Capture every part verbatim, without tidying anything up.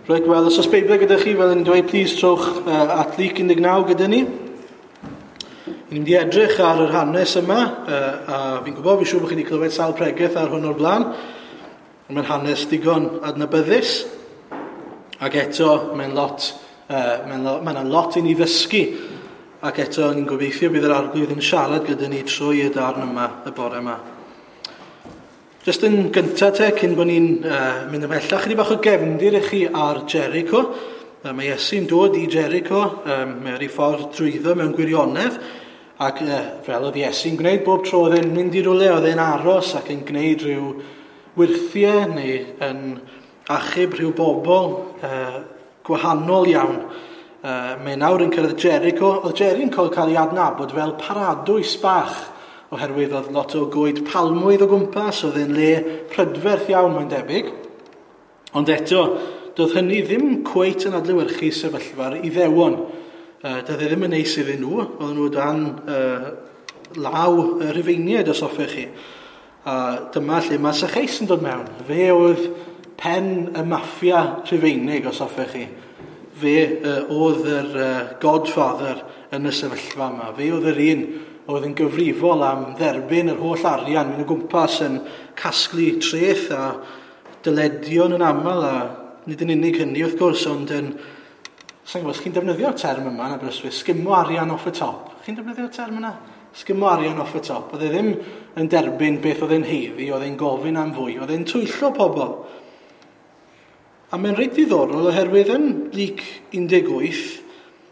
Reit, wel, os oes Beibl gyda chi, fel ni'n dweud, please trowch uh, at Luc un deg naw gyda ni. Ni'n mynd i edrych ar yr hanes yma, uh, a fi'n gwybod, fi'n siŵr bod chi wedi clywed sawl pregeth ar hwn o'r blaen. Mae'n hanes digon adnabyddus, ac eto mae'n lot, uh, mae'n lo, mae'n lot i ni ddysgu, ac eto ni'n gobeithio bydd yr Arglwydd yn siarad gyda ni trwy y darn yma, y bore yma. Just yn gyntaf te, cyn bod ni'n uh, mynd ymhellach, chydig bach o gefndir i chi ar Jericho. Uh, mae Iesu'n dod i Jericho, um, mae ar ei ffordd drwyddo mewn gwirionedd, ac uh, fel oedd Iesu'n gwneud bob tro oedd e'n mynd i rywle, oedd e'n aros ac yn gwneud rhyw wyrthiau neu yn achub rhyw bobl uh, gwahanol iawn. Uh, mae nawr yn cyrraedd Jericho. Oedd Jericho'n cael ei adnabod fel paradwys bach, oherwydd oedd lot o goed palmwydd o gwmpas, oedd e'n le prydferth iawn mae'n debyg. Ond eto, doedd hynny ddim cweit yn adlewyrchu sefyllfa'r Iddewon. Uh, doedd e ddim yn neis iddyn nhw, oedden nhw dan uh, law y Rhufeiniaid, os hoffech chi. A dyma lle mae Sacheus yn dod mewn. Fe oedd pen y maffia Rhufeinig, os hoffech chi. Fe uh, oedd yr uh, godfather yn y sefyllfa yma. Fe oedd yr un oedd yn gyfrifol am dderbyn yr holl arian, mynd o gwmpas yn casglu treth a dyledion yn aml, a nid yn unig hynny wrth gwrs, ond yn, sa'n gwybod, chi'n defnyddio'r term yma yn Aberystwyth, sgimo arian off y top. Chi'n defnyddio'r term yna? Sgimo arian off y top. Oedd e ddim yn derbyn beth oedd e'n haeddu, oedd e'n gofyn am fwy, oedd e'n twyllo pobl. A mae'n reit ddiddorol oherwydd yn Luc un deg wyth,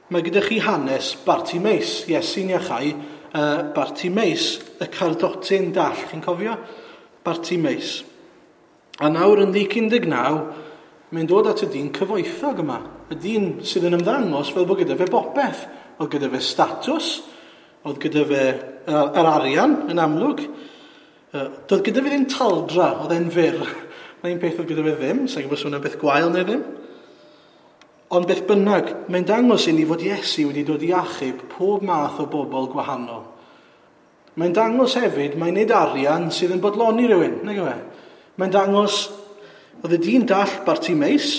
mae gyda chi hanes Bartimeus, Iesu'n iachau Uh, Bartimeus, y cardotyn dall, chi'n cofio? Bartimeus. A nawr yn Luc un deg naw, mae'n dod at y dyn cyfoethog yma. Y dyn sydd yn ymddangos fel bod gyda fe bopeth. Oedd gyda fe statws, oedd gyda fe uh, yr arian yn amlwg. Uh, doedd gyda fe ddim taldra, oedd e'n fyr. Na un peth oedd gyda fe ddim, sa'n gwybod os hwnna'n beth gwael neu ddim. Ond beth bynnag, mae'n dangos i ni fod Iesu wedi dod i achub pob math o bobl gwahanol. Mae'n dangos hefyd, mae'n nid arian sydd yn bodloni rhywun, nag yw e? Mae'n dangos, oedd y dyn dall Bartimeus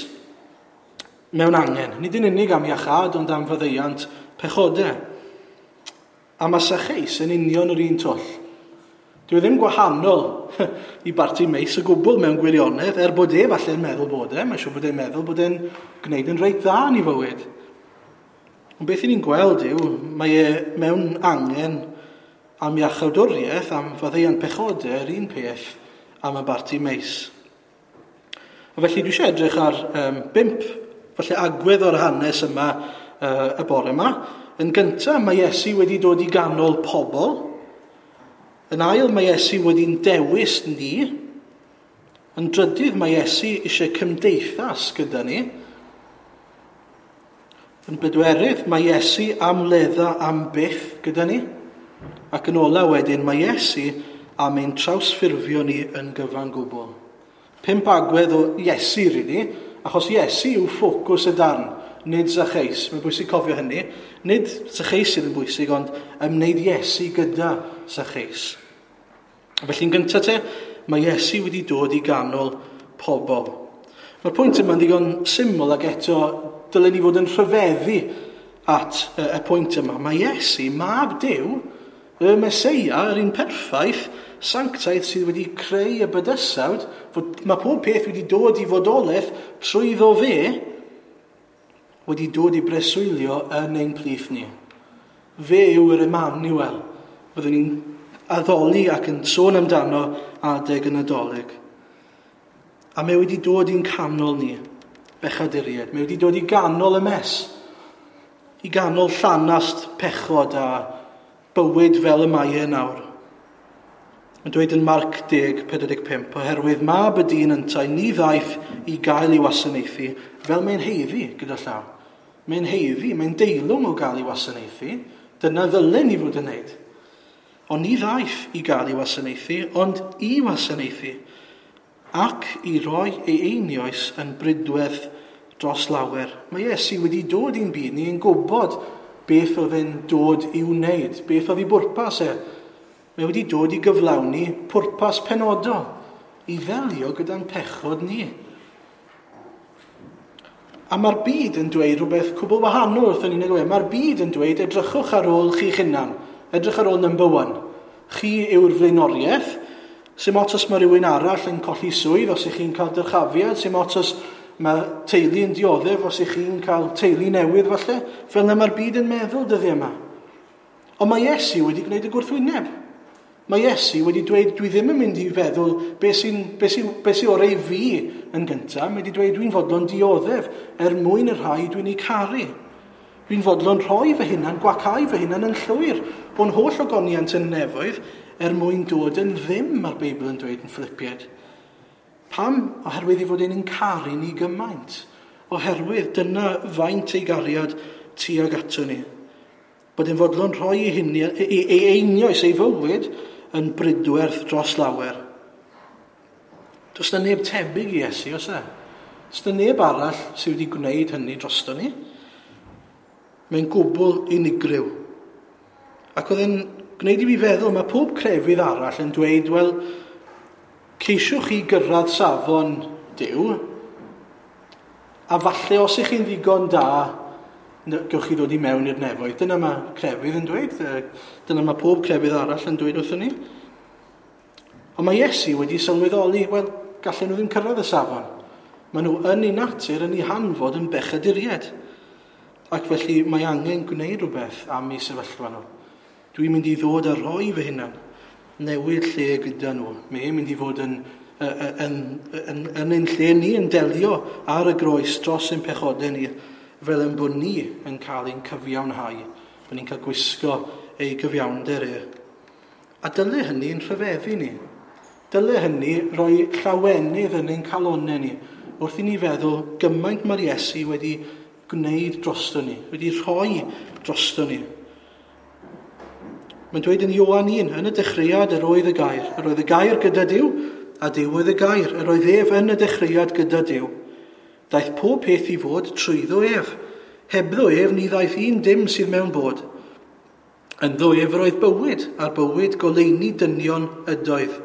mewn angen, nid yn unig am iachâd, ond am faddeuant pechodau. A mae Sacheus yn union yr un twll. Dyw e ddim gwahanol i Bartimeus o gwbl mewn gwirionedd, er bod e falle'n meddwl bod e, mae'n siŵr bod e'n meddwl bod e'n gwneud yn reit dda yn ei fywyd. Ond beth ni'n gweld yw, mae e mewn angen am iachawdwriaeth, am faddeuant pechodau, yr un peth am y Bartimeus. A felly dwi eisiau edrych ar um, bump, falle agwedd o'r hanes yma uh, y bore yma. Yn gyntaf, mae Iesu wedi dod i ganol pobl. Yn ail, mae Iesu wedi'n dewis ni. Yn drydydd, mae Iesu eisiau cymdeithas gyda ni. Yn bedwerydd, mae Iesu am wledda am byth gyda ni. Ac yn ola wedyn, mae Iesu am ein trawsffurfio ni yn gyfan gwbl. Pump agwedd o Iesu, really, achos Iesu yw ffocws y darn, nid Sacheus. Mae'n bwysig cofio hynny. Nid Sacheus sydd yn bwysig, ond ymwneud Iesu gyda Sacheus. Felly'n gyntaf te, mae Iesu wedi dod i ganol pobl. Mae'r pwynt yma'n ddigon syml ac eto dylen ni fod yn rhyfeddu at y, y pwynt yma. Mae Iesu, mab Duw, y Meseia, yr un perffaith, sanctaidd sydd wedi creu y bydysawd, fod, mae pob peth wedi dod i fodolaeth trwyddo fe, wedi dod i breswylio yn ein plith ni. Fe yw yr Emmanuel. Byddwn ni'n addoli ac yn sôn amdano adeg y Nadolig. A mae wedi dod i'n canol ni, bechaduriaid. Mae wedi dod i ganol y mes, i ganol llanast pechod a bywyd fel y mae e nawr. Mae'n dweud yn Marc deg, pedwar deg pump, oherwydd mab y dyn yntau ni ddaeth i gael ei wasanaethu fel mae'n haeddu gyda llaw. Mae'n haeddu, mae'n deilwng o gael ei wasanaethu. Dyna ddylen ni fod yn wneud. Ond ni ddaeth i gael ei wasanaethu, ond i wasanaethu, ac i roi ei einioes yn brydwerth dros lawer. Mae Iesu wedi dod i'n byd ni yn gwybod beth oedd e'n dod i'w wneud, beth oedd ei bwrpas e. Mae wedi dod i gyflawni pwrpas penodol, i ddelio gyda'n pechod ni. A mae'r byd yn dweud rhywbeth cwbl wahanol wrthyn ni'n gweud. Mae'r byd yn dweud edrychwch ar ôl chi'ch hunan. Edrych ar ôl number one. Chi yw'r flaenoriaeth. Sim ots os mae rhywun arall yn colli swydd, os ych chi'n cael dyrchafiad. Sim ots os mae teulu yn dioddef, os ych chi'n cael teulu newydd falle. Fel yna mae'r byd yn meddwl dyddiau yma. Ond mae Iesu wedi gwneud y gwrthwyneb. Mae Iesu wedi dweud, dwi ddim yn mynd i feddwl beth sy'n be sy, be sy orau i fi yn gyntaf. Mae wedi dweud, dwi'n fodlon dioddef er mwyn y rhai dwi'n ei caru. Dwi'n fodlon rhoi fy hunan, gwacau fy hunan yn llwyr o'n holl ogoniant yn nefoedd er mwyn dod yn ddim, mae'r Beibl yn dweud yn Philippiaid. Pam? Oherwydd ei fod e'n caru ni gymaint. Oherwydd dyna faint ei gariad tuag ato ni. Bod e'n fodlon rhoi ei, hynny, ei, ei einioes, ei fywyd, yn bridwerth dros lawer. Does na neb tebyg i Iesu, oes e? Does na neb arall sydd wedi gwneud hynny drosto ni. Mae'n gwbl unigryw. Ac oedd e'n gwneud i fi feddwl, mae pob crefydd arall yn dweud, wel, ceisiwch chi gyrraedd safon Duw, a falle os ych chi'n ddigon da, gewch chi ddod i mewn i'r nefoedd. Dyna mae crefydd yn dweud, dyna mae pob crefydd arall yn dweud wrthyn ni. Ond mae Iesu wedi sylweddoli, wel, gallen nhw ddim cyrraedd y safon. Maen nhw yn ei natur, yn ei hanfod, yn bechaduriaid. Ac felly mae angen gwneud rhywbeth am eu sefyllfa nhw. Dwi'n mynd i ddod a rhoi fy hunan, newid lle gyda nhw. Mae'n mynd i fod yn, yn, yn, yn ein lle ni, yn delio ar y groes dros ein pechodau ni, fel yn bod ni yn cael ein cyfiawnhau, bod ni'n cael gwisgo ei gyfiawnder e. A dyle hynny yn rhyfeddu ni. Dyle hynny roi llawenydd yn ein calonau ni, wrth i ni feddwl gymaint mae'r Iesu wedi gwneud drosto ni, wedi rhoi drosto ni. Mae'n dweud yn Ioan un, yn y dechreuad yr oedd y gair. Yr oedd y gair gyda Duw, a Duw oedd y gair. Yr oedd ef yn y dechreuad gyda Duw. Daeth pob peth i fod trwyddo ef. Hebddo ef ni ddaeth un dim sydd mewn bod. Ynddo ef yr oedd bywyd, a'r bywyd goleuni dynion ydoedd.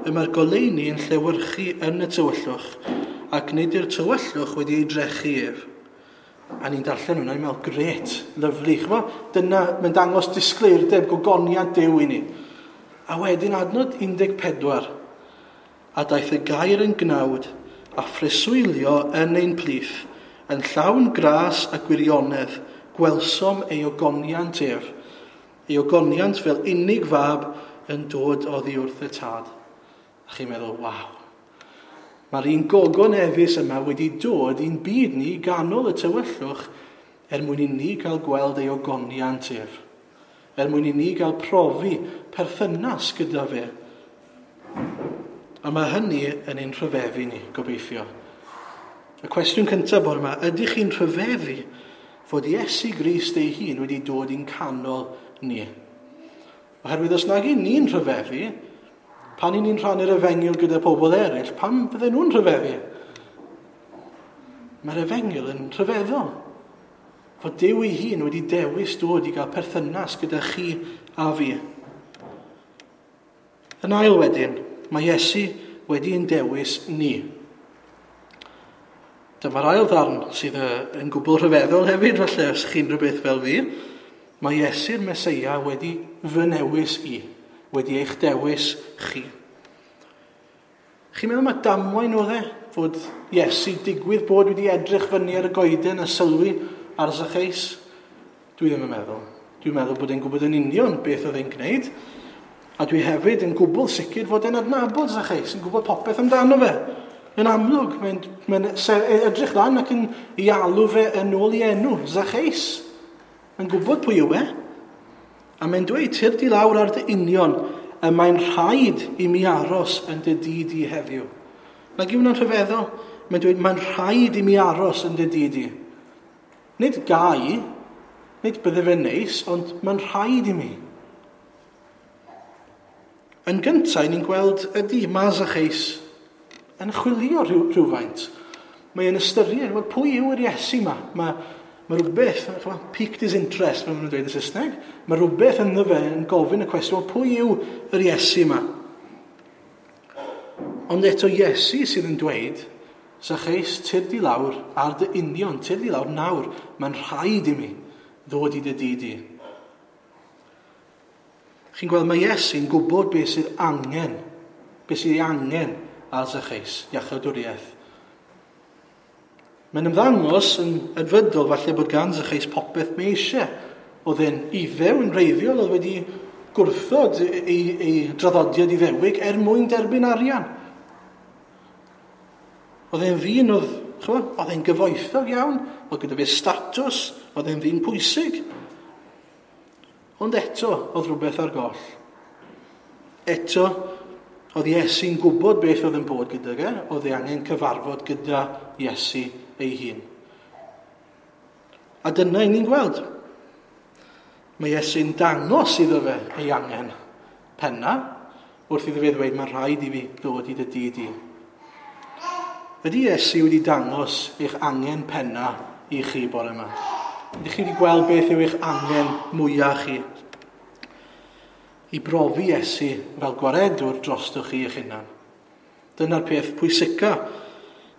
Y mae'r goleuni yn llewyrchu yn y tywyllwch, ac nid yw'r tywyllwch wedi ei drechu ef. A ni'n darllen hwnna, ni'n meddwl, grêt, lyfli. Ch'mo? Dyna, mae'n dangos disgleirdeb gogoniant Duw i ni. A wedyn adnod un deg pedwar. A daeth y gair yn gnawd a phreswylio yn ein plith, yn llawn gras a gwirionedd, gwelsom ei ogoniant ef. Ei ogoniant fel unig fab yn dod oddi wrth y tad. A chi'n meddwl, waw. Mae'r un gogoneddus yma wedi dod i'n byd ni ganol y tywyllwch er mwyn i ni gael gweld ei ogoniant ef. Er mwyn i ni gael profi perthynas gyda fe. A mae hynny yn ein rhyfeddu ni, gobeithio. Y cwestiwn cyntaf bore yma, ydych chi'n rhyfeddu fod Iesu Grist ei hun wedi dod i'n canol ni? Oherwydd os nag y'n ni'n rhyfeddu, pan y'n ni'n rhannu'r efengyl gyda pobl eraill, pam fydden nhw'n rhyfeddu? Mae'r efengyl yn rhyfeddol. Fod Duw ei hun wedi dewis dod i gael perthynas gyda chi a fi. Yn ail wedyn, mae Iesu wedi'n dewis ni. Dyma'r ail ddarn sydd yn gwbl rhyfeddol hefyd, falle os chi'n rhywbeth fel fi. Mae Iesu'r Meseia wedi fy newis i, wedi eich dewis chi. Chi'n meddwl mae damwain oedd e? Fod Iesu digwydd bod wedi edrych fyny ar y goeden a sylwi ar Zacchaeus? Dwi ddim yn meddwl. Dwi'n meddwl bod e'n gwybod yn union beth oedd e'n gwneud. A dwi hefyd yn gwbl sicr fod e'n adnabod Zacchaeus, yn gwybod popeth amdano fe. Yn amlwg, mae'n mae edrych lan ac yn ei alw fe yn ôl i enw, Zacchaeus. Mae'n gwybod pwy yw e. A mae'n dweud, tyrd i lawr ar dy union, y mae'n rhaid i mi aros yn dy dŷ di heddiw. Nag yw hwnna'n rhyfeddol? Mae'n dweud, mae'n rhaid i mi aros yn dy dŷ di. Nid gai, nid bydde fe'n neis, ond mae'n rhaid i mi. Yn gyntaf, ni'n gweld ydy mae Zacchaeus yn chwilio rhyw, rhywfaint. Mae'n ystyried, wel, pwy yw yr Iesu yma? Mae, mae rhywbeth, piqued his interest, fel maen nhw'n dweud yn Saesneg. Mae rhywbeth ynddo fe yn gofyn y cwestiwn, wel, pwy yw yr Iesu yma? Ond eto Iesu sydd yn dweud, Zacchaeus, tyrd i lawr ar dy union, tyrd i lawr nawr, mae'n rhaid i mi ddod i dy dŷ di. Chi'n gweld, mae Iesu'n gwybod beth sydd angen, beth sydd ei angen ar Zacchaeus, iachawdwriaeth. Mae'n ymddangos yn edfydol falle bod gan Zacchaeus popeth mae eisiau. Oedd e'n Iddew yn wreiddiol, oedd wedi gwrthod ei, ei draddodiad Iddewig er mwyn derbyn arian. Oedd e'n ddyn oedd, ch'mod, oedd e'n gyfoethog iawn, oedd gyda fe statws, oedd e'n ddyn pwysig. Ond eto, oedd rhywbeth ar goll. Eto, oedd Iesu'n gwybod beth oedd yn bod gyda fe, oedd e angen cyfarfod gyda Iesu ei hun. A dyna i ni'n gweld. Mae Iesu'n dangos iddo fe ei angen penna, wrth iddo fe ddweud, mae'n rhaid i fi ddod i dy dŷ di. Ydy Iesu wedi dangos eich angen penna i chi bore yma? Ydych chi wedi gweld beth yw eich angen mwyaf chi? I brofi Iesu fel gwaredwr drostoch chi eich hunan. Dyna'r peth pwysica,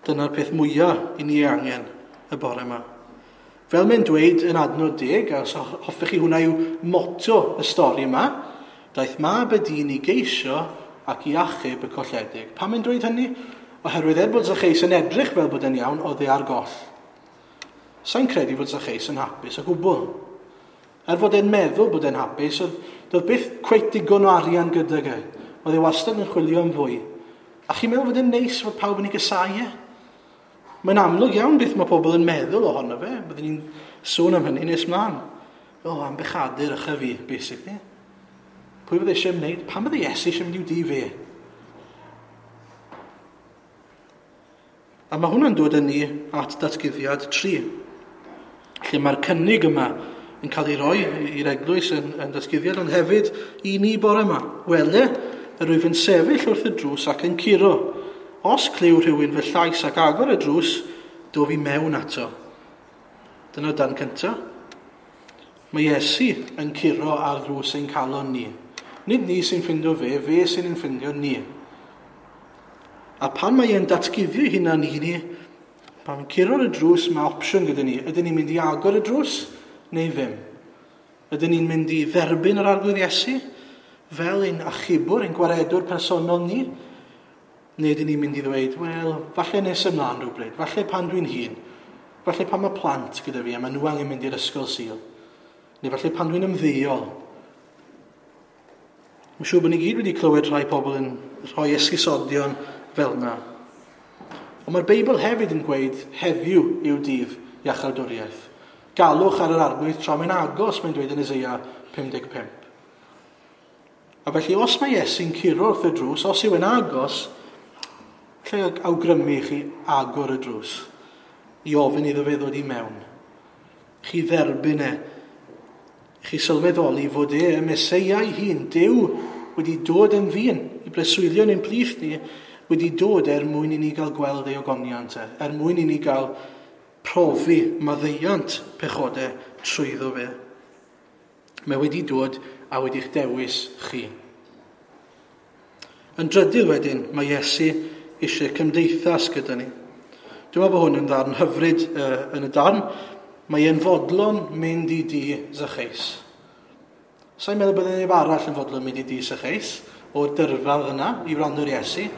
dyna'r peth mwyaf i ni angen y bore yma. Fel mae'n dweud yn adnod deg, a os hoffech chi hwnna yw motto y stori yma, daeth mab y dyn i geisio ac i achub y colledig. Pam mae'n dweud hynny? Oherwydd er bod Zacchaeus yn edrych fel bod e'n iawn, oedd e ar goll. Sa'n credu fod Zacchaeus yn hapus o gwbl. Er fod e'n meddwl bod e'n hapus, oedd, doedd byth cweit digon o arian gydag e. Oedd e wastad yn chwilio am fwy. A chi'n meddwl fod e'n neis fod pawb yn ei gysau e? Mae'n amlwg iawn beth mae pobl yn meddwl ohono fe. Byddwn ni'n sôn am hynny nes mlaen. O, am bechadur ycha fi, basically. Pwy fydde eisiau wneud? Pam bydde Iesu eisiau mynd i'w dŷ fe? A mae hwnna'n dod â ni at datguddiad tri, lle mae'r cynnig yma yn cael ei roi i'r eglwys yn, yn datguddiad, ond hefyd i ni bore yma. Wele, yr wyf yn sefyll wrth y drws ac yn curo. Os clyw rhywun fy llais ac agor y drws, dof i mewn ato. Dyna dan cyntaf. Mae Iesu yn curo ar ddrws ein calon ni. Nid ni sy'n ffindo fe, fe sy'n ein ffindio ni. A pan mae e'n datguddio hunan i ni, pan mae'n curo ar y drws, mae opsiwn gyda ni. Ydyn ni'n mynd i agor y drws neu ddim? Ydyn ni'n mynd i dderbyn yr Arglwydd Iesu fel ein achubwr, ein gwaredwr personol ni? Neu ydyn ni'n mynd i ddweud, wel, falle nes ymlaen rhywbryd, falle pan dwi'n hŷn, falle pan mae plant gyda fi a maen nhw angen mynd i'r ysgol Sul, neu falle pan dwi'n ymddeol. Mae'n siŵr bod ni gyd wedi clywed rhai pobl yn rhoi esgusodion fel yna. Ond mae'r Beibl hefyd yn gweud heddiw yw dydd iachawdwriaeth. Galwch ar yr Arglwydd tra mae'n agos, mae'n dweud yn Eseia pum deg pump. A felly os mae Iesu'n curo wrth y drws, os yw e'n agos, lle awgrymu i chi agor y drws, i ofyn iddo fe ddod i mewn. Chi dderbyn e, chi sylweddoli fod e, y Meseia ei hun, Duw wedi dod yn ddyn, i breswylio yn ein plith ni, wedi dod er mwyn i ni gael gweld ei ogoniant e, er mwyn i ni gael profi maddeuant pechodau trwyddo fe. Mae wedi dod a wedi'ch dewis chi. Yn drydydd wedyn, mae Iesu eisiau cymdeithas gyda ni. Dwi'n meddwl bod hwn yn ddarn hyfryd uh, yn y darn. Mae e'n fodlon mynd i dŷ Zacchaeus. Sa'n meddwl bod neb arall yn fodlon mynd i dŷ Zacchaeus o'r dyrfa yna i wrando'r Iesu,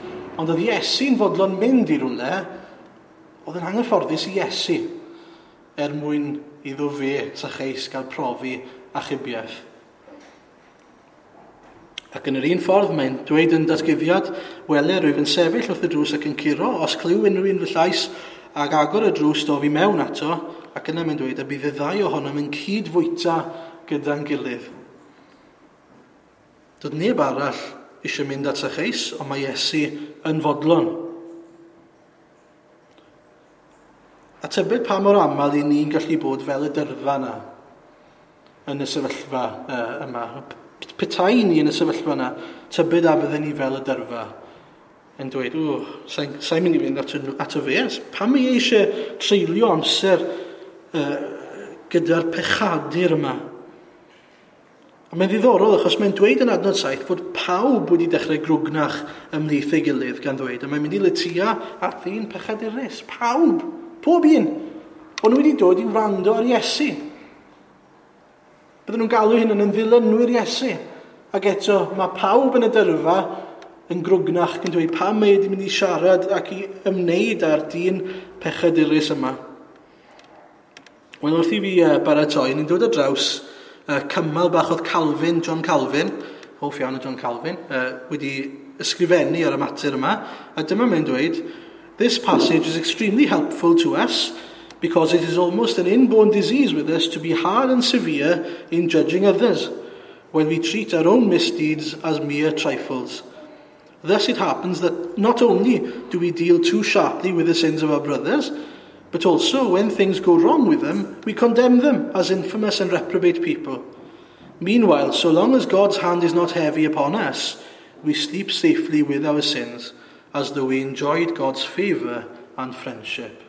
ond oedd Iesu'n fodlon mynd i rywle, oedd yn anghyfforddus i Iesu er mwyn iddo fe, Zacchaeus, gael profi achubiaeth. Ac yn yr un ffordd mae'n dweud yn datguddiad, wele, rwyf yn sefyll wrth y drws ac yn curo, os clyw unrhyw un fy llais ac agor y drws dof i mewn ato, ac yna mae'n dweud, a bydd y ddau ohonom yn cyd-fwyta gyda'n gilydd. Doedd neb arall eisiau mynd at Zacchaeus, ond mae Iesu yn fodlon. A tybed pa mor aml i ni'n gallu bod fel y dyrfa yna yn y sefyllfa uh, yma. Petai ni yn y sefyllfa yna, tybed a fydden ni fel y dyrfa yn dweud, o, sa'n sa mynd i fynd ato, ato fe. Pam mae eisiau treulio amser uh, gyda'r pechadur yma? A mae'n ddiddorol achos mae'n dweud yn adnod saith fod pawb wedi dechrau grwgnach ymhlith ei gilydd gan ddweud, a mae'n mynd i letia at ddyn pechadurus. Pawb! Pob un! O'n nhw wedi dod i wrando ar Iesu. Bydden nhw'n galw hyn yn ddilynwyr Iesu. Ac eto, mae pawb yn y dyrfa yn grwgnach yn dweud pam mae wedi mynd i siarad ac i ymwneud â'r dyn pechadurus yma. Wel, wrth i fi baratoi, ni'n dod ar draws cymal bach oedd Calvin, John Calvin, hoff iawn o John Calvin, wedi ysgrifennu ar y mater yma. A dyma mae'n dweud, "This passage is extremely helpful to us because it is almost an inborn disease with us to be hard and severe in judging others when we treat our own misdeeds as mere trifles. Thus it happens that not only do we deal too sharply with the sins of our brothers, but also when things go wrong with them, we condemn them as infamous and reprobate people. Meanwhile, so long as God's hand is not heavy upon us, we sleep safely with our sins, as though we enjoyed God's favour and friendship."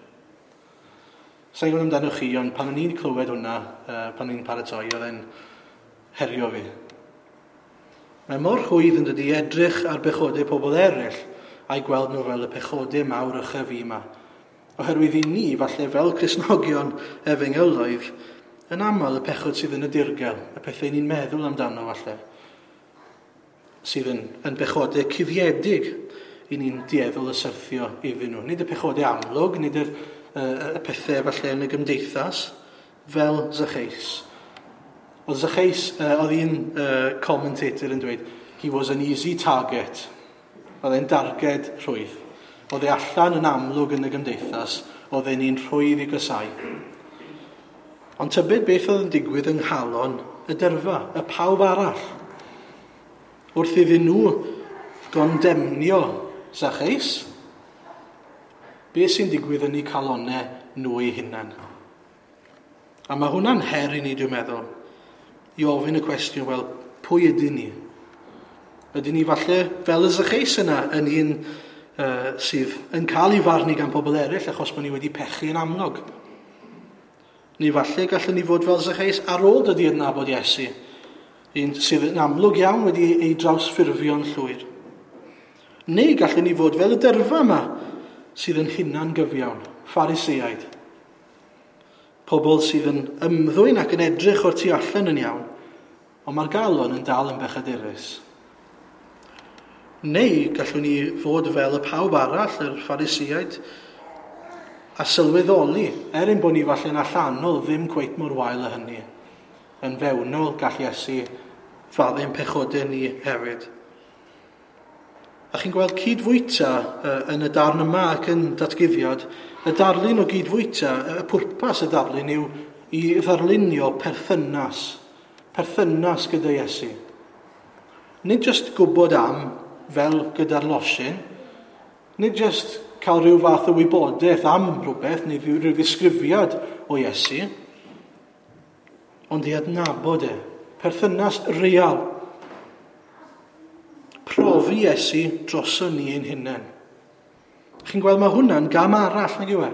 Sa'n gwybod amdano chi, ond pan o'n i'n clywed hwnna, uh, pan o'n i'n paratoi, oedd e'n herio fi. Mae mor rhwydd yn dydi edrych ar bechodau pobl eraill a'i gweld nhw fel y pechodau mawr ychyf fi yma. Oherwydd i ni, falle fel Cristnogion efengyloedd, yn aml y pechod sydd yn y dirgel, y pethau ni'n meddwl amdano falle, sydd yn, yn bechodau cuddiedig i ni'n dueddol y syrthio iddyn nhw. Nid y pechodau amlwg, nid yr, y, y pethau falle yn y gymdeithas, fel Zacchaeus. Oedd Zacchaeus, uh, oedd un uh, commentator yn dweud, "He was an easy target." Oedd e'n darged rhwydd. Oedd e allan yn amlwg yn y gymdeithas, oedd e'n un rhwydd i gysau. Ond tybed beth oedd yn digwydd yng nghalon y dyrfa, y pawb arall? Wrth iddyn nhw gondemnio Zacchaeus, beth sy'n digwydd yn eu calonau nhw eu hunain? A mae hwnna'n her i ni, dwi'n meddwl, i ofyn y cwestiwn, wel, pwy ydyn ni? Ydyn ni falle fel y Zacchaeus yna yn un uh, sydd yn cael ei farnu gan pobl eraill achos bod ni wedi pechu yn amlwg? Neu falle gallwn ni fod fel Zacchaeus ar ôl dod i adnabod Iesu, un sydd yn amlwg iawn wedi ei drawsffurfio'n llwyr. Neu gallwn ni fod fel y dyrfa yma sydd yn hunan gyfiawn, Phariseaid. Pobl sydd yn ymddwyn ac yn edrych o'r tu allan yn iawn, ond mae'r galon yn dal yn bechadurus. Neu gallwn ni fod fel y pawb arall, yr Phariseaid, a sylweddoli, er ein bod ni falle'n allanol ddim cweit mor wael â hynny. Yn fewnol gall Iesu faddau'n pechodau ni hefyd. A chi'n gweld cydfwyta yn y darn yma ac yn datguddiad, y darlun o gydfwyta, y pwrpas y darlun yw i ddarlunio perthynas, perthynas gyda Iesu. Nid jyst gwybod am, fel gyda'r losin, nid jyst cael rhyw fath o wybodaeth am rhywbeth, neu rhyw ddisgrifiad o Iesu, ond i adnabod e, perthynas real. Profi Iesu droson ni ein hunain. Chi'n gweld mae hwnna'n gam arall, nag yw e?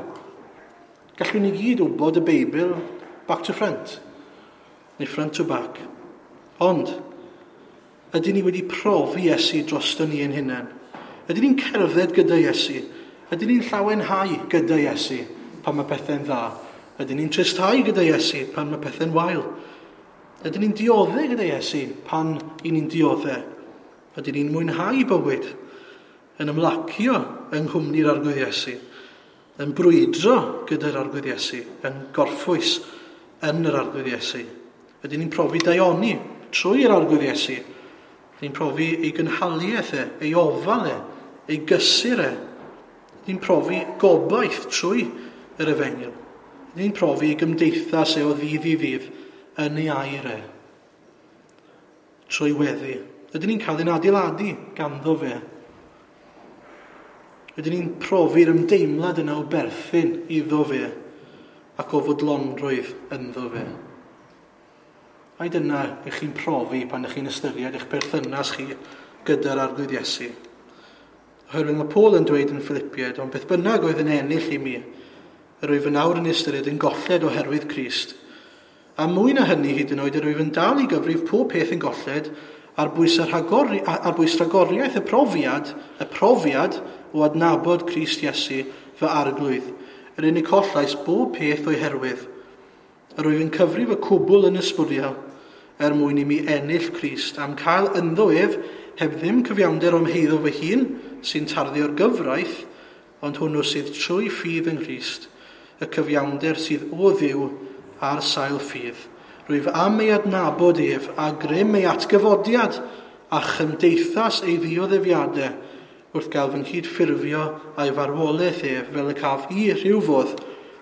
Gallwn ni gyd wybod y Beibl back to front, neu front to back. Ond, ydyn ni wedi profi Iesu droson ni ein hunain? Ydyn ni'n cerdded gyda Iesu? Ydyn ni'n llawenhau gyda Iesu pan mae pethau'n dda? Ydyn ni'n tristhau gyda Iesu pan mae pethau'n wael? Ydyn ni'n dioddef gyda Iesu pan i ni'n dioddef? Ydyn ni'n mwynhau bywyd, yn ymlacio yng nghwmni'r Arglwydd Iesu, yn brwydro gyda'r Arglwydd Iesu, yn gorffwys yn yr Arglwydd Iesu? Ydyn ni'n profi daioni trwy'r Arglwydd Iesu? Ydyn ni'n profi ei gynhaliaeth e, ei ofal e, ei gysur e? Ydyn ni'n profi gobaith trwy yr efengyl? Ydyn ni'n profi ei gymdeithas e o ddydd i ddydd yn ei air e? Trwy weddi. Ydyn ni'n cael ein adeiladu ganddo fe? Ydyn ni'n profi'r ymdeimlad yna o berthyn iddo fe ac o fodlonrwydd ynddo fe? Ai dyna ych chi'n profi pan ych chi'n ystyried eich perthynas chi gyda'r Arglwydd Iesu? Oherwydd mae Paul yn dweud yn Philippiaid, ond beth bynnag oedd yn ennill i mi, yr wyf yn awr yn ystyried yn golled oherwydd Crist. A mwy na hynny hyd yn oed yr wyf yn dal i gyfrif pob peth yn golled ar bwys, rhagori, ar bwys rhagoriaeth y profiad, y profiad o adnabod Crist Iesu fy arglwydd, yr unig collais bob peth o'i herwydd. Yr wyf yn cyfrif y cwbl yn ysbwriel, er mwyn i mi ennill Crist, am cael ynddo ef, heb ddim cyfiawnder o'm heiddo fy hun, sy'n tarddu o'r gyfraith, ond hwnnw sydd trwy ffydd yng Nghrist, y cyfiawnder sydd o Dduw ar sail ffydd. Rwyf am ei adnabod ef a grym ei atgyfodiad a chymdeithas ei ddioddefiadau wrth gael fy nghydffurfio a'i farwolaeth ef fel y caf i rhyw fodd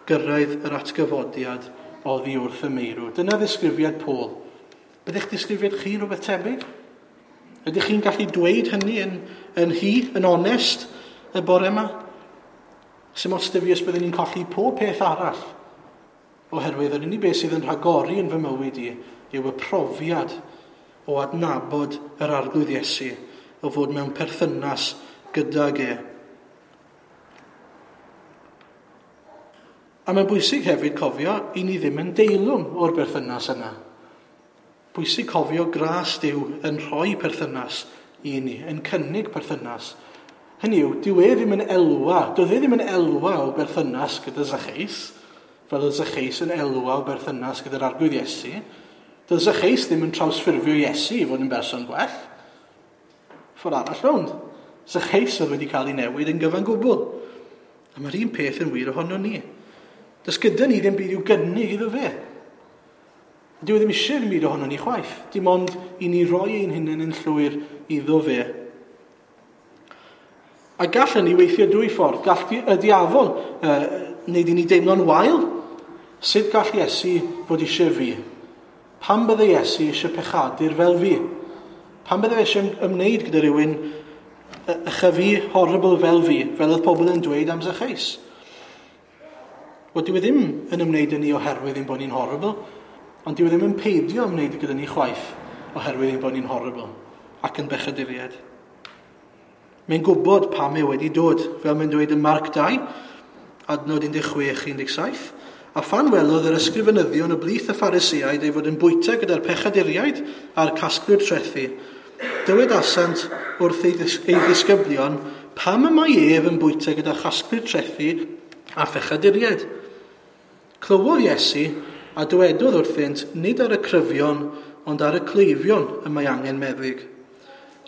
gyrraedd yr atgyfodiad oddi wrth y meirw. Dyna ddisgrifiad Paul. Byddech disgrifiad chi rhywbeth tebyg? Ydych chi'n gallu dweud hynny yn, yn hi, yn onest, y bore yma? Sim ots 'da fi os byddwn ni'n colli pob peth arall, oherwydd yr unig beth sydd yn rhagori yn fy mywyd i yw y profiad o adnabod yr Arglwydd Iesu, o fod mewn perthynas gydag e. A mae'n bwysig hefyd cofio i ni ddim yn deilwng o'r berthynas yna. Bwysig cofio gras Duw yn rhoi perthynas i ni, yn cynnig perthynas. Hynny yw, dyw e ddim yn elwa, doedd e ddim yn elwa o berthynas gyda Zacchaeus, fel oedd Zacchaeus yn elwa o berthynas gyda'r Arglwydd Iesu. Doedd Zacchaeus ddim yn trawsffurfio Iesu i fod yn berson gwell. Ffordd arall rownd. Zacchaeus oedd wedi cael ei newid yn gyfan gwbl. A mae'r un peth yn wir ohono ni. Does gyda ni ddim byd i'w gynnig iddo fe. Dyw e ddim eisiau ddim byd ohono ni chwaith. Dim ond i ni roi ein hunain yn llwyr iddo fe. A gall hynny weithio dwy ffordd. Gall y diafol uh, wneud i ni deimlo'n wael. Sut gall Iesu fod eisiau fi? Pam bydde Iesu eisiau pechadur fel fi? Pam bydde fe eisiau ymwneud gyda rhywun ychyfu horrible fel fi, fel oedd pobl yn dweud am Zacchaeus? Wel, dyw e ddim yn ymwneud â ni oherwydd ein bod ni'n horrible, ond dyw e ddim yn peidio ymwneud gyda ni chwaith oherwydd ein bod ni'n horrible ac yn bechaduriaid. Mae'n gwybod pam e wedi dod, fel mae'n dweud yn Marc dau, adnod un deg chwech un deg saith, a phan welodd yr ysgrifenyddion o blith y Phariseaid ei fod yn bwyta gyda'r pechaduriaid a'r casglwyr trethi, dywedasant wrth ei, ddis ei ddisgyblion, pam y mae ef yn bwyta gyda chasglwyr trethi a phechaduriaid? Clywodd Iesu a dywedodd wrthynt, nid ar y cryfion, ond ar y cleifion y mae angen meddyg.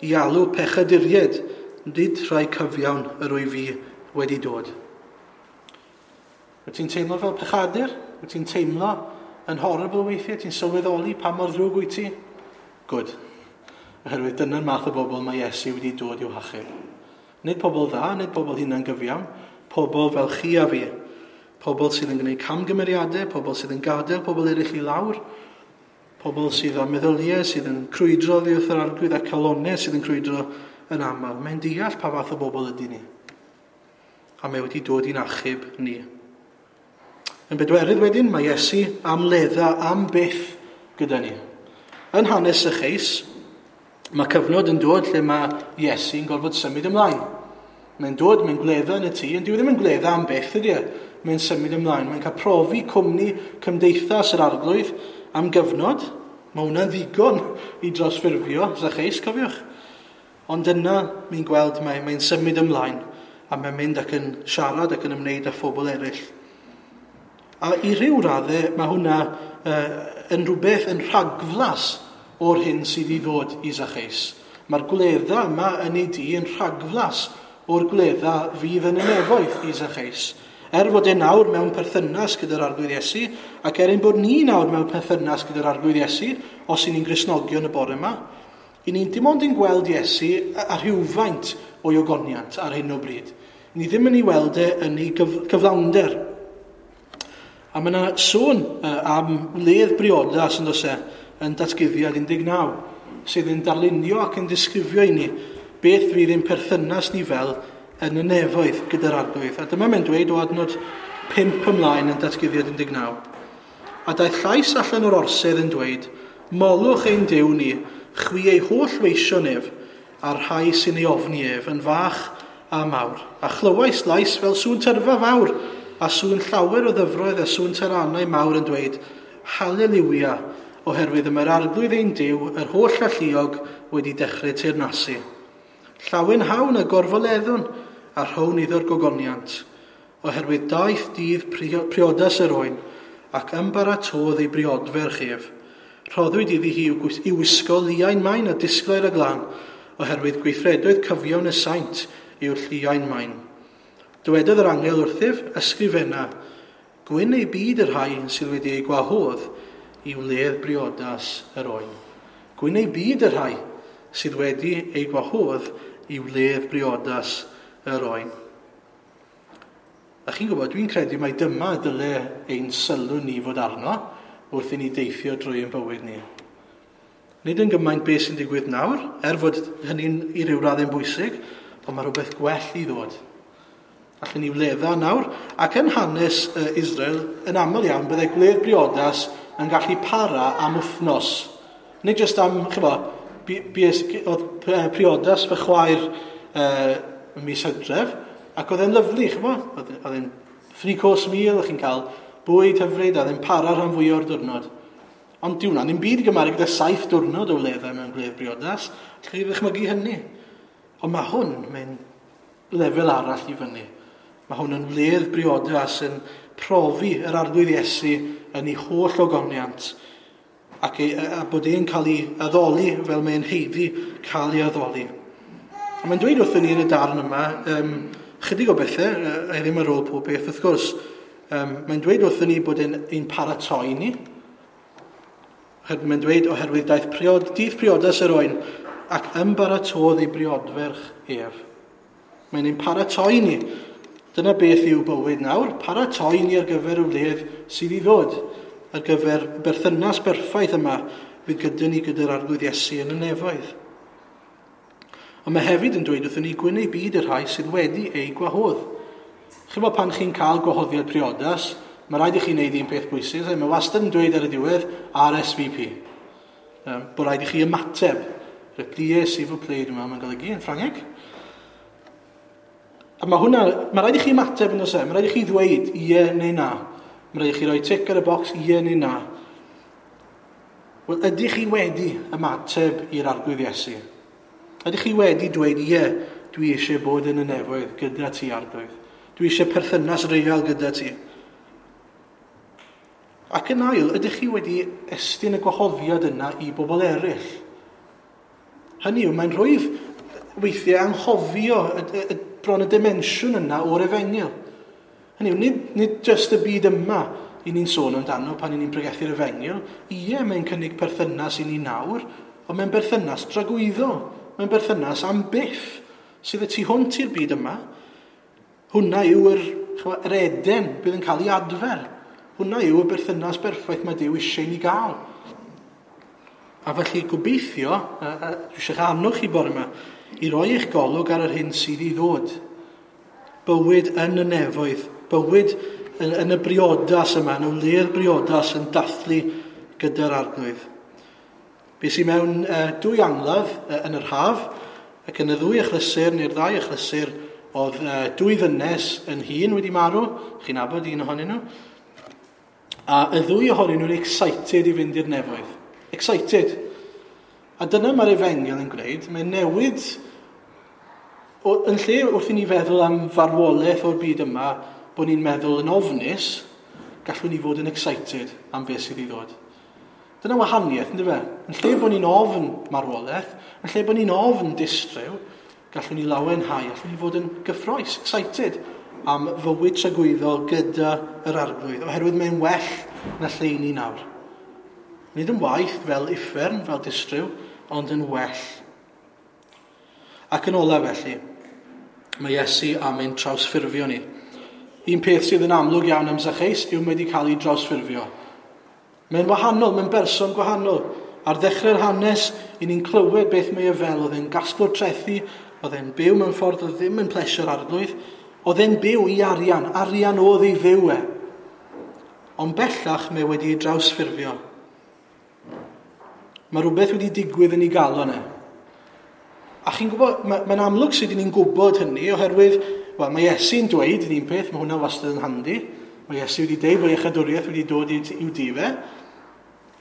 I alw pechaduriaid, nid rhai cyfiawn yr wyf fi wedi dod. Wyt ti'n teimlo fel pechadur? Wyt ti'n teimlo yn horrible weithiau? Ti'n sylweddoli pa mor ddrwg wyt ti? Good. Oherwydd dyna'r math o bobl mae Iesu wedi dod i'w hachub. Nid pobl dda, nid pobl hunan gyfiawn, pobl fel chi a fi. Pobl sydd yn gwneud camgymeriadau, pobl sydd yn gadael pobl eraill i lawr, pobl sydd â meddyliau, sydd yn crwydro oddi wrth yr Arglwydd a calonnau sydd yn crwydro yn aml. Mae'n deall pa fath o bobl ydy ni. A mae wedi dod i'n achub ni. Yn bedwerydd wedyn, mae Iesu am ledda am byth gyda ni. Yn hanes Zacchaeus, mae cyfnod yn dod lle mae Iesu'n gorfod symud ymlaen. Mae'n dod, mae'n gwledda yn y tŷ, ond dyw e ddim yn gwledda am byth ydy e. Mae'n symud ymlaen. Mae'n cael profi cwmni cymdeithas yr Arglwydd am gyfnod. Mae hwnna'n ddigon i drosffurfio Zacchaeus, cofiwch. Ond yna, mi'n gweld mae'n mae symud ymlaen a mae'n mynd ac yn siarad ac yn ymwneud â phobl eraill. A i ryw raddau, mae hwnna uh, yn rhywbeth yn rhagflas o'r hyn sydd i ddod i Zacchaeus. Mae'r gwledda yma yn ei dŷ yn rhagflas o'r gwledda fydd yn y nefoedd i Zacchaeus. Er fod e nawr mewn perthynas gyda'r Arglwydd Iesu, ac er ein bod ni nawr mewn perthynas gyda'r Arglwydd Iesu, os y'n ni'n Gristnogion y bore yma, i ni'n dim ond yn gweld Iesu a rhywfaint o'i ogoniant ar hyn o bryd. Ni ddim yn ei weld e yn ei gyf cyflawnder. A mae yna sôn am wledd briodas yn does e, yn Datguddiad un deg naw, sydd yn darlunio ac yn disgrifio i ni beth fydd ein perthynas ni fel yn y nefoedd gyda'r Arglwydd. A dyma mae'n dweud o adnod pump ymlaen yn Datguddiad un deg naw. A daeth llais allan o'r orsedd yn dweud, molwch ein Duw ni, chwi ei holl weision ef, a'r rhai sy'n ei ofni ef, yn fach a mawr. A chlywais lais fel sŵn tyrfa fawr, a sŵn llawer o ddyfroedd a sŵn taranau mawr yn dweud, Haleliwia, oherwydd y mae'r arglwydd ein Duw, yr holl alluog, wedi dechrau teyrnasu. Llawenhawn a gorfoleddwn, a rhown iddo'r gogoniant, oherwydd daeth dydd priodas yr oen, ac ymbaratodd ei briodferch ef. Rhoddwyd iddi hi i'w wisgo liain main a disglair a glân, oherwydd gweithredoedd cyfiawn y saint yw'r lliain main. Dywedodd yr angel wrthyf, ysgrifenna, gwyn ei byd y rhai sydd wedi ei gwahodd i wledd briodas yr oen. Gwyn ei byd y rhai sydd wedi ei gwahodd i wledd briodas yr oen. A chi'n gwybod, dwi'n credu mai dyma dyle ein sylw ni fod arno wrth i ni deithio drwy ein bywyd ni. Nid yn gymaint beth sy'n digwydd nawr, er fod hynny'n i ryw raddau'n bwysig, ond mae rhywbeth gwell i ddod. Allen ni wledda nawr, ac yn hanes Israel, yn aml iawn, byddai gwledd briodas yn gallu para am wythnos. Nid jyst am, chyfo, oedd priodas fy chwaer uh, mis Hydref, ac oedd e'n lyfli, chyfo, oedd e'n three course meal, o'ch chi'n cael bwyd hyfryd, a oedd e'n para rhan fwy o'r diwrnod. Ond diw hwnna, ddim byd i gymharu gyda saith diwrnod o wledda mewn gwledd briodas, allwch chi ddychmygu hynny. Ond mae hwn, mae'n lefel arall i fyny. Mae hwn yn wledd briodas yn profi yr arglwydd Iesu yn ei holl ogoniant ac ei, a bod e'n cael ei addoli fel mae'n haeddu cael ei addoli. A mae'n dweud wrthyn ni yn y darn yma, um, chydig o bethau, a ddim ar ôl pob beth wrth gwrs, um, mae'n dweud wrthyn ni bod e'n ein paratoi ni. Mae'n dweud oherwydd daeth priod, dydd priodas yr oen ac ymbaratodd ei briodferch ef. Mae'n ein paratoi ni. Dyna beth yw bywyd nawr, paratoi ni ar gyfer y wledd sydd i ddod, ar gyfer berthynas berffaith yma fydd gyda ni gyda'r arglwydd Iesu yn y nefoedd. Ond mae hefyd yn dweud wrthyn ni gwyn ei byd y rhai sydd wedi ei gwahodd. Chi'n bod pan chi'n cael gwahoddiad priodas, mae rhaid i chi wneud un peth bwysig, mae wastad yn dweud ar y diwedd R S V P. Um, bod rhaid i chi ymateb. Replier, s'il vous plaît, dwi'n meddwl mae'n golygu yn Ffrangeg. A mae hwnna, mae rhaid i chi ymateb yn oes e, mae rhaid i chi ddweud ie neu na. Mae rhaid i chi roi tic ar y bocs ie neu na. Wel, ydych chi wedi ymateb i'r arglwydd Iesu? Ydych chi wedi dweud ie, dwi eisiau bod yn y nefoedd gyda ti arglwydd. Dwi eisiau perthynas real gyda ti. Ac yn ail, ydych chi wedi estyn y gwahoddiad yna i bobl eraill? Hynny yw, mae'n rhwydd weithiau anghofio y, y, y, bron y dimensiwn yna o'r efengyl. Hynny yw, nid, nid jyst y byd yma i ni'n sôn amdano pan i ni'n pregethu'r efengyl. Ie, mae'n cynnig perthynas i ni nawr, ond mae'n berthynas dragwyddol. Mae'n berthynas am byth sydd y tu hwnt i'r byd yma. Hwna yw yr, yr Eden bydd yn cael ei adfer. Hwna yw y berthynas berffaith mae Duw eisiau ni gael. A felly gobeithio, a, a, dwi eisiau annog chi bore yma, i roi eich golwg ar yr hyn sydd i ddod. Bywyd yn y nefoedd, bywyd yn, yn y briodas yma, yn y wledd briodas yn dathlu gyda'r arglwydd. Bues i mewn uh, dwy angladd uh, yn yr haf, ac yn y ddwy achlysur, neu'r ddau achlysur, oedd uh, dwy ddynes yn hŷn wedi marw, chi'n nabod un ohonyn nhw, a y ddwy ohonyn nhw'n excited i fynd i'r nefoedd. Excited. A dyna mae'r efengyl yn gwneud, mae'n newid, o, yn lle wrth i ni feddwl am farwolaeth o'r byd yma, bod ni'n meddwl yn ofnus, gallwn ni fod yn excited am beth sydd i ddod. Dyna wahaniaeth, ynddo fe? Yn lle bod ni'n ofn marwolaeth, yn lle bod ni'n ofn distryw, gallwn ni lawenhau, gallwn ni fod yn gyffrous, excited am fywyd tragwyddol gyda yr arglwydd, oherwydd mae'n well na lle i ni nawr. Nid yn waith fel uffern, fel distryw, ond yn well. Ac yn ola felly, mae Iesu am ein trawsffurfio ni. Un peth sydd yn amlwg iawn am Zacchaeus yw mae wedi cael ei drawsffurfio. Mae'n wahanol, mae'n berson gwahanol. Ar ddechrau'r hanes, i ni'n clywed beth mae e fel. Oedd e'n gasglwr trethi, oedd e'n byw mewn ffordd oedd ddim yn plesio'r arglwydd. Oedd e'n byw i arian, arian oedd ei fyw e. Ond bellach mae wedi ei drawsffurfio. Mae rhywbeth wedi digwydd yn ei galon e. A chi'n gwybod, mae'n amlwg sut ni'n gwybod hynny, oherwydd, wel, mae Iesu'n dweud yn un peth, mae hwnna wastad yn handi. Mae Iesu wedi dweud bod iechadwriaeth wedi dod i'w dŷ fe.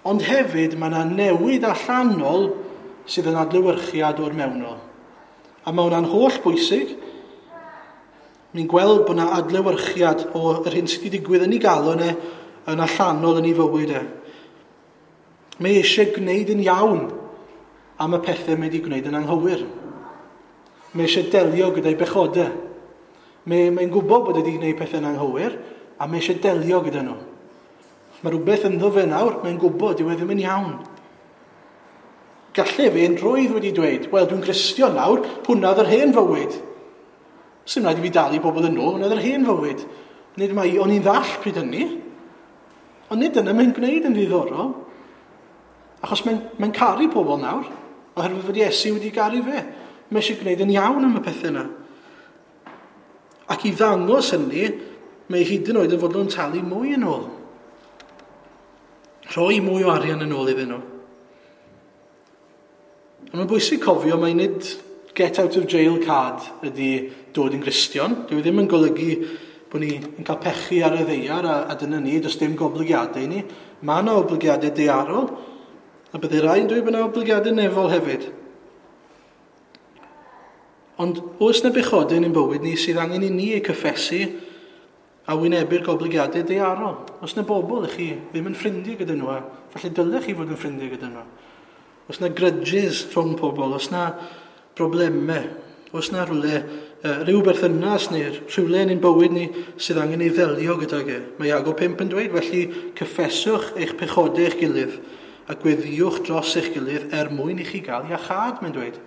Ond hefyd mae yna newid allanol sydd yn adlewyrchiad o'r mewnol. A mae hwnna'n holl bwysig. Ni'n gweld bod yna adlewyrchiad o'r hyn sydd wedi digwydd yn ei galon e yn allanol yn ei fywyd e. Mae eisiau gwneud yn iawn am y pethau mae wedi gwneud yn anghywir. Mae eisiau delio gyda'i bechodau. Mae, mae'n gwybod bod wedi gwneud pethau'n anghywir a mae eisiau delio gyda nhw. Mae rhywbeth ynddo fe nawr, mae'n gwybod dyw e ddim yn iawn. Gallai fe yn rhwydd wedi dweud, wel, dwi'n Gristion nawr, hwnna oedd yr hen fywyd. Sdim rhaid i fi dalu pobl yn ôl, hwnna oedd yr hen fywyd. Nid mai, o'n i'n ddall pryd hynny. Ond nid dyna mae'n gwneud yn ddiddorol. Achos mae'n mae caru pobl nawr, oherwydd fod Iesu wedi garu fe. Mae eisiau gwneud yn iawn am y pethau yna. Ac i ddangos hynny, mae hyd yn oed yn fodlon talu mwy yn ôl. Rhoi mwy o arian yn ôl iddyn nhw. Ond mae'n bwysig cofio mai nid get out of jail card ydy dod yn Gristion. Dyw e ddim yn golygu bod ni yn cael pechu ar y ddaear a, a dyna ni, does dim goblygiadau i ni. Mae yna oblygiadau daearol, a byddai rai yn dweud bod yna oblygiadau nefol hefyd. Ond oes yna bechodau yn ein bywyd ni sydd angen i ni eu cyffesu a wynebu'r goblygiadau daearol? Oes yna bobl i chi ddim yn ffrindiau gyda nhw, a falle dylech chi fod yn ffrindiau gyda nhw. Oes yna grudges rhwng pobl, oes yna broblemau, oes yna rhywle, uh, rhyw berthynas neu rhywle yn ein bywyd ni sydd angen ei ddelio gydag e. Mae Iago pump yn dweud, felly cyffeswch eich pechodau eich gilydd a gweddiwch dros eich gilydd er mwyn i chi gael iachâd, mae'n dweud.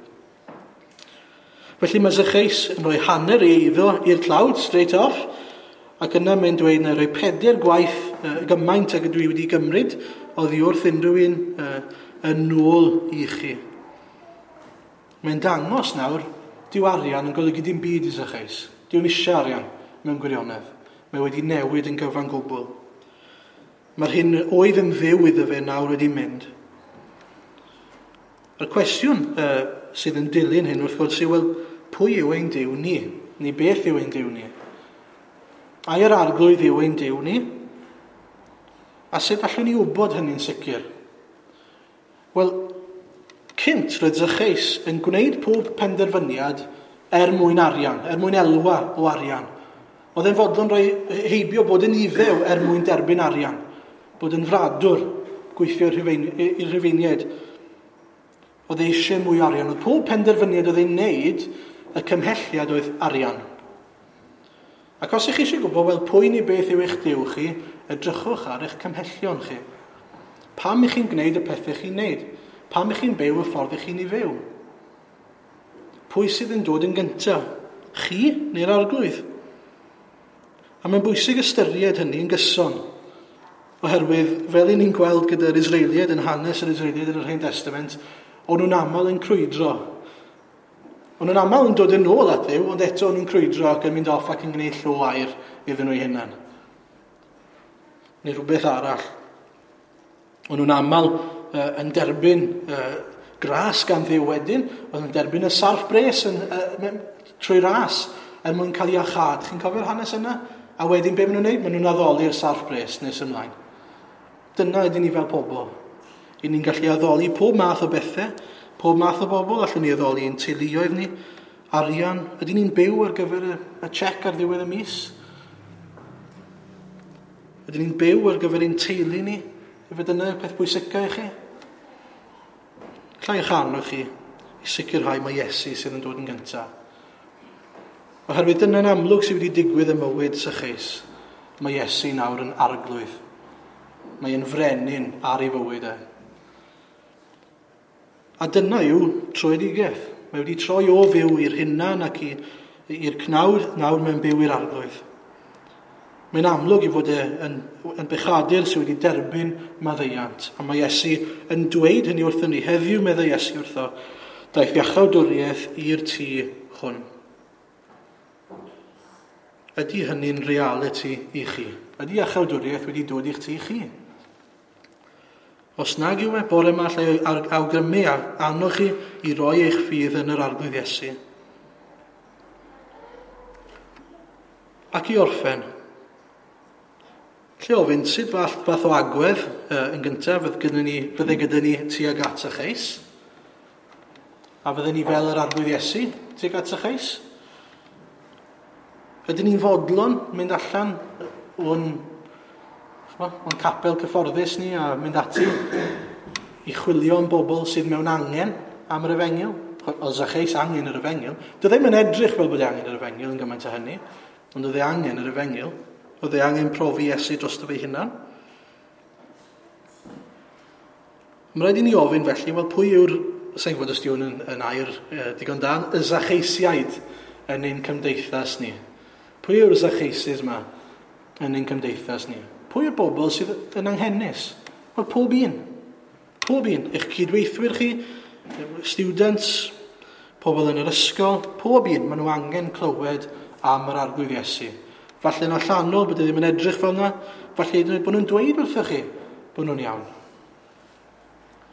Felly mae Zacchaeus yn rhoi hanner ei eiddo i'r tlawd, straight off, ac yna mae'n dweud na rhoi pedair gwaith uh, gymaint ag ydw i wedi gymryd oddi wrth unrhyw un uh, yn ôl i chi. Mae'n dangos nawr, dyw arian yn golygu dim byd i Zacchaeus. Dyw'n eisiau arian mewn gwirionedd. Mae wedi newid yn gyfan gwbl. Mae'r hyn oedd yn fyw iddo fe nawr wedi mynd. A'r cwestiwn uh, sydd yn dilyn hyn wrth gwrs yw, wel, pwy yw ein Duw ni? Neu beth yw ein Duw ni? Ai yr Arglwydd yw ein Duw ni? A sut allwn ni wybod hynny'n sicr? Wel, cynt roedd Zacchaeus yn gwneud pob penderfyniad er mwyn arian, er mwyn elwa o arian. Oedd e'n fodlon rhoi heibio bod yn Iddew er mwyn derbyn arian, bod yn fradwr, gweithio i'r Rhufeiniaid. Oedd e eisiau mwy o arian. Oedd pob penderfyniad oedd e'n wneud, y cymhelliad oedd arian. Ac os ych chi eisiau gwybod, wel, pwy neu beth yw eich Duw chi, edrychwch ar eich cymhellion chi. Pam ych chi'n gwneud y pethau chi'n wneud? Pam ych chi'n byw y ffordd ych chi'n ei fyw? Pwy sydd yn dod yn gyntaf? Chi neu'r Arglwydd? A mae'n bwysig ystyried hynny yn gyson. Oherwydd, fel i ni'n gweld gyda'r Israeliaid yn hanes yr Israeliaid yn yr Hen Testament, o'n nhw'n aml yn crwydro. O'n nhw'n aml yn dod yn ôl at Dduw, ond eto o'n nhw'n crwydro ac yn mynd off ac yn gwneud llo aur iddyn nhw eu hunain. Neu rhywbeth arall. O'n nhw'n aml uh, yn derbyn uh, gras gan Dduw wedyn, oedd yn derbyn y sarff bres yn, uh, trwy ras er mwyn cael iachâd. Chi'n cofio'r hanes yna? A wedyn be maen nhw'n gwneud? Maen nhw'n addoli'r sarff bres nes ymlaen. Dyna ydyn ni fel pobl. I ni'n gallu addoli pob math o bethau, pob math o bobl, allwn ni addoli ein teuluoedd ni, arian. Ydyn ni'n byw ar gyfer y, y check ar ddiwedd y mis? Ydyn ni'n byw ar gyfer ein teulu ni? Efe dyna peth pwysica i chi? Alla i eich annog chi i sicrhau mai Iesu sydd yn dod yn gyntaf. Oherwydd dyna'n amlwg sydd wedi digwydd ym mywyd Zacchaeus. Mae Iesu nawr yn arglwydd. Mae yn frenin ar ei fywyd e. A dyna yw troedigaeth. Mae wedi troi o fyw i'r hunan ac i'r cnawd, nawr mae'n byw i'r Arglwydd. Mae'n amlwg i fod e yn, yn bechadur sydd wedi derbyn maddeuant. A mae Iesu yn dweud hynny wrthyn ni. Heddiw meddai Iesu wrtho, daeth iachawdwriaeth i'r tŷ hwn. Ydy hynny'n reality i chi? Ydy iachawdwriaeth wedi dod i'ch tŷ chi? Os nag yw e, bore yma allai awgrymu a annog chi i roi eich ffydd yn yr Arglwydd Iesu. Ac i orffen, Lle ofyn, sut fath, fath o agwedd uh, yn gyntaf fydd gyda ni, fydde gyda ni tuag at Zacheus? A fydden ni fel yr Arglwydd Iesu tuag at Zacheus? Ydyn ni'n fodlon mynd allan o'n, o'n capel cyfforddus ni a mynd ati i chwilio am bobl sydd mewn angen am yr efengyl? Oedd Zacheus angen yr efengyl. Doedd ddim yn edrych fel bod e angen yr efengyl yn gymaint o hynny, ond oedd e angen yr efengyl. Oedd e angen profi Iesu drosto fe hunan. Mae'n rhaid i ni ofyn felly, wel pwy yw'r, sa'n gwybod os di hwn yn, yn air eh, digon da, y Zacheusiaid yn ein cymdeithas ni. Pwy yw'r Zacheuses yma yn ein cymdeithas ni? Pwy yw'r bobl sydd yn anghenus? Wel, pob un. Pob un. Eich cydweithwyr chi, students, pobl yn yr ysgol, pob un, maen nhw angen clywed am yr Arglwydd Iesu. Falle yn allanol bod e ddim yn edrych fel yna, falle hyd yn oed bod nhw'n dweud wrthych chi bod nhw'n iawn.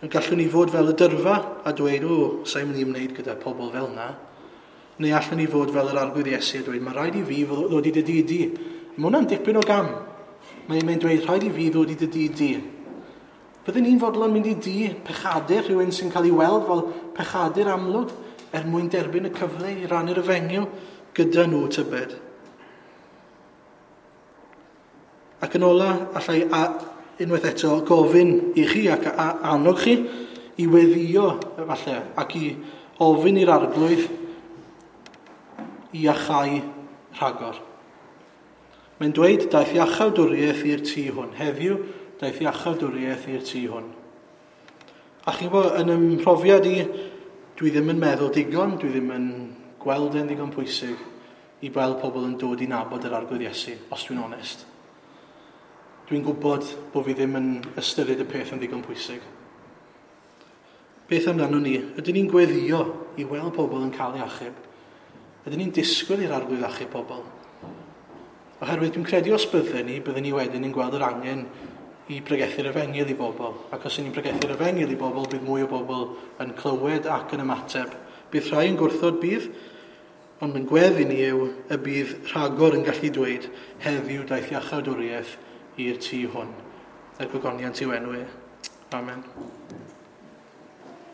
Yn gallwn ni fod fel y dyrfa a dweud, o, sa'n mynd i ymwneud gyda pobl fel yna. Neu allwn ni fod fel yr Arglwydd Iesu a dweud, mae rhaid i fi ddod i dy dŷ di. Mae hwnna'n dipyn o gam. Mae'n mae dweud, rhaid i fi ddod i dy dŷ di. Fydden ni'n fodlon mynd i dŷ pechadur, rhywun sy'n cael ei weld fel pechadur amlwg, er mwyn derbyn y cyfle i rannu'r efengyl gyda nhw tybed. Ac yn ola, allai a, unwaith eto gofyn i chi ac a, annog chi i weddio falle ac i ofyn i'r Arglwydd i iachau rhagor. Mae'n dweud, daeth iachawdwriaeth i'r tŷ hwn. Heddiw, daeth iachawdwriaeth i'r tŷ hwn. A chi'n gwybod, yn ym mhrofiad i, dwi ddim yn meddwl digon, dwi ddim yn gweld e'n ddigon pwysig i weld pobl yn dod i nabod yr Arglwydd Iesu, os dwi'n onest. Dwi'n gwybod bod fi ddim yn ystyried y peth yn ddigon pwysig. Beth amdano ni? Ydyn ni'n gweddio i weld pobl yn cael ei achub? Ydyn ni'n disgwyl i'r Arglwydd achub pobl? Oherwydd dwi'n credu os bydden ni, bydden ni wedyn yn gweld yr angen i pregethu'r efengyl i bobl. Ac os ydyn ni'n pregethu'r efengyl i bobl, bydd mwy o bobl yn clywed ac yn ymateb. Bydd rhai yn gwrthod bydd, ond yn gweddi ni yw y bydd rhagor yn gallu dweud heddiw daeth iachawdwriaeth i'r tŷ hwn. Er gogoniant i'w enw e. Amen.